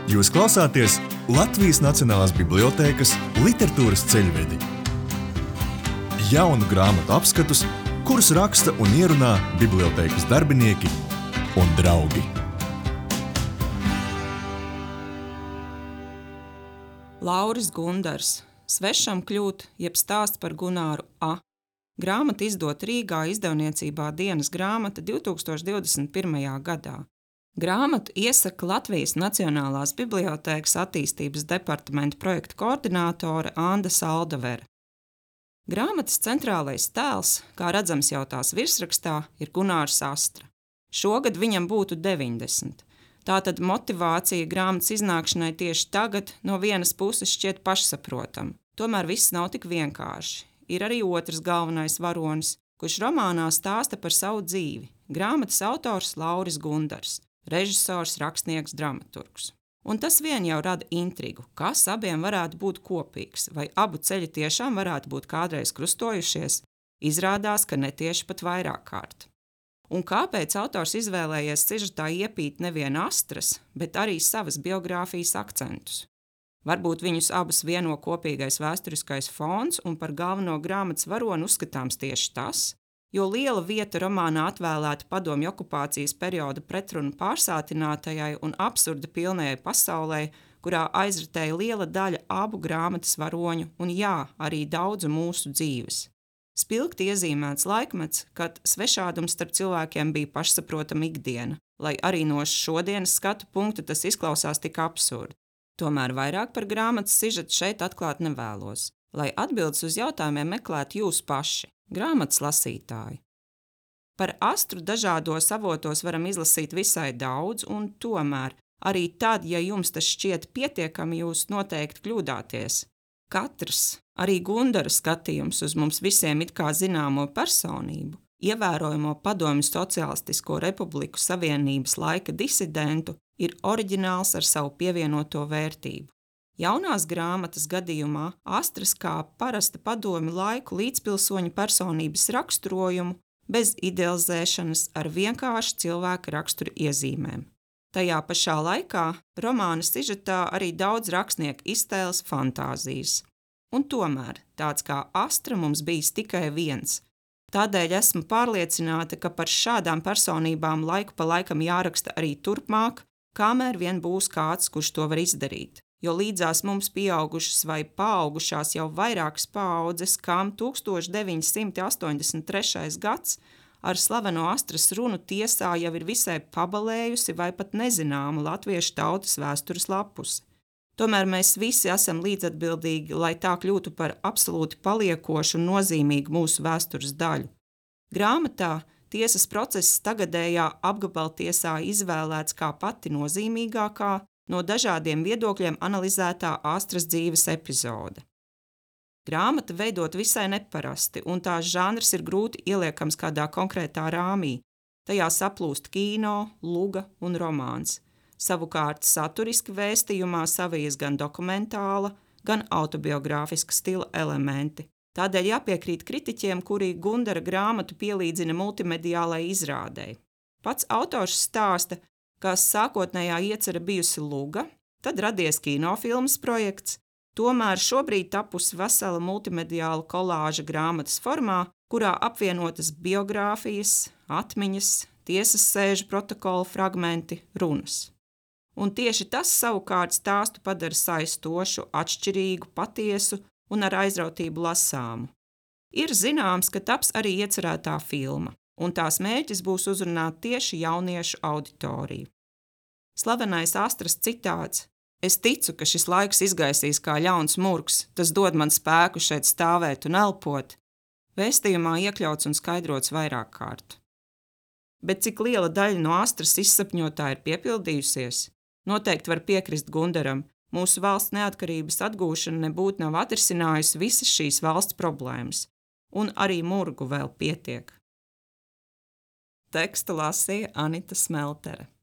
Jūs klausāties Latvijas Nacionālās bibliotēkas literatūras ceļvedi. Jaunu grāmatu apskatus, kurus raksta un ierunā bibliotēkas darbinieki un draugi. Lauris Gundars, Svešam kļūt, jeb stāsts par Gunāru A. Grāmata izdota Rīgā izdevniecībā Dienas grāmata 2021. gadā. Grāmatu iesaka Latvijas Nacionālās bibliotēkas attīstības departamenta projekta koordinātore Anda Saldavere. Grāmatas centrālais tēls, kā redzams jau tās virsrakstā, ir Gunārs Astra. Šogad viņam būtu 90. Tātad motivācija grāmatas iznākšanai tieši tagad no vienas puses šķiet pašsaprotama. Tomēr viss nav tik vienkārši. Ir arī otrs galvenais varonis, kurš romānā stāsta par savu dzīvi. Grāmatas autors Lauris Gundars, režisors, rakstnieks, dramaturgs. Un tas vien jau rada intrigu, kas abiem varētu būt kopīgs, vai abu ceļi tiešām varētu būt kādreiz krustojušies. Izrādās, ka netieši pat vairāk kārt. Un kāpēc autors izvēlējies sižetā iepīt nevien Astras, bet arī savas biogrāfijas akcentus? Varbūt viņus abus vieno kopīgais vēsturiskais fons un par galveno grāmatas varoni uzskatāms tieši tas, jo liela vieta romānā atvēlēta padomju okupācijas perioda pretrunu pārsātinātajai un absurda pilnajai pasaulē, kurā aizritēja liela daļa abu grāmatas varoņu un arī daudzu mūsu dzīves. Spilgti iezīmēts laikmets, kad svešādums starp cilvēkiem bija pašsaprotama ikdiena, lai arī no šodienas skatu punkta tas izklausās tik absurdi. Tomēr vairāk par grāmatas sižetu šeit atklāt nevēlos, lai atbildes uz jautājumiem meklētu jūs paši, grāmatas lasītāji. Par Astru dažādos avotos varam izlasīt visai daudz, un tomēr arī tad, ja jums tas šķiet pietiekami, jūs noteikti kļūdāties. Katrs, arī Gundara skatījums uz mums visiem it kā zināmo personību, ievērojamo Padomju Sociālistisko Republiku Savienības laika disidentu, ir oriģināls ar savu pievienoto vērtību. Jaunās grāmatas gadījumā Astras kā parasta padomju laiku līdzpilsoņu personības raksturojumu bez idealizēšanas ar vienkārši cilvēka rakstura iezīmēm. Tajā pašā laikā romāna sižetā arī daudz rakstnieku iztēles fantāzijas. Un tomēr tāds kā Astra mums bijis tikai viens. Tādēļ esmu pārliecināta, ka par šādām personībām laiku pa laikam jāraksta arī turpmāk, kamēr vien būs kāds, kurš to var izdarīt. Jo līdzās mums pieaugušas vai paaugušās jau vairākas paaudzes, kam 1983. gads ar slaveno Astras runu tiesā jau ir visai pabalējusi vai pat nezināma latviešu tautas vēstures lapusi. Tomēr mēs visi esam līdzatbildīgi, lai tā kļūtu par absolūti paliekošu un nozīmīgu mūsu vēstures daļu. Grāmatā tiesas process tagadējā apgabaltiesā izvēlēts kā pati nozīmīgākā, no dažādiem viedokļiem analizētā Astras dzīves epizode. Grāmata veidot visai neparasti, un tās žanrs ir grūti ieliekams kādā konkrētā rāmī. Tajā saplūst kino, luga un romāns. Savukārt saturiski vēstījumā savijas gan dokumentāla, gan autobiogrāfiska stila elementi. Tādēļ jāpiekrīt kritiķiem, kuri Gundara grāmatu pielīdzina multimediālai izrādei. Pats autors stāsta, ka sākotnējā iecerē bijusi luga, tad radies kinofilmas projekts, tomēr šobrīd tapusi vesela multimediāla kolāža grāmatas formā, kurā apvienotas biogrāfijas, atmiņas, tiesas sēžu protokola fragmenti, runas. Un tieši tas savukārt stāstu padara saistošu, atšķirīgu, patiesu un ar aizrautību lasāmu. Ir zināms, ka taps arī iecerētā filma, un tās mērķis būs uzrunāt tieši jauniešu auditoriju. Slavenais Astras citāts: "Es ticu, ka šis laiks izgaisīs kā ļauns murgs, tas dod man spēku šeit stāvēt un elpot", vēstījumā iekļauts un skaidrots vairāk kārt. Bet cik liela daļa no Astras izsapņotā ir piepildījusies? Noteikti var piekrist Gundaram. Mūsu valsts neatkarības atgūšana nebūtu nav atrisinājusi visas šīs valsts problēmas, un arī murgu vēl pietiek. Tekstu lasīja Anita Smeltere.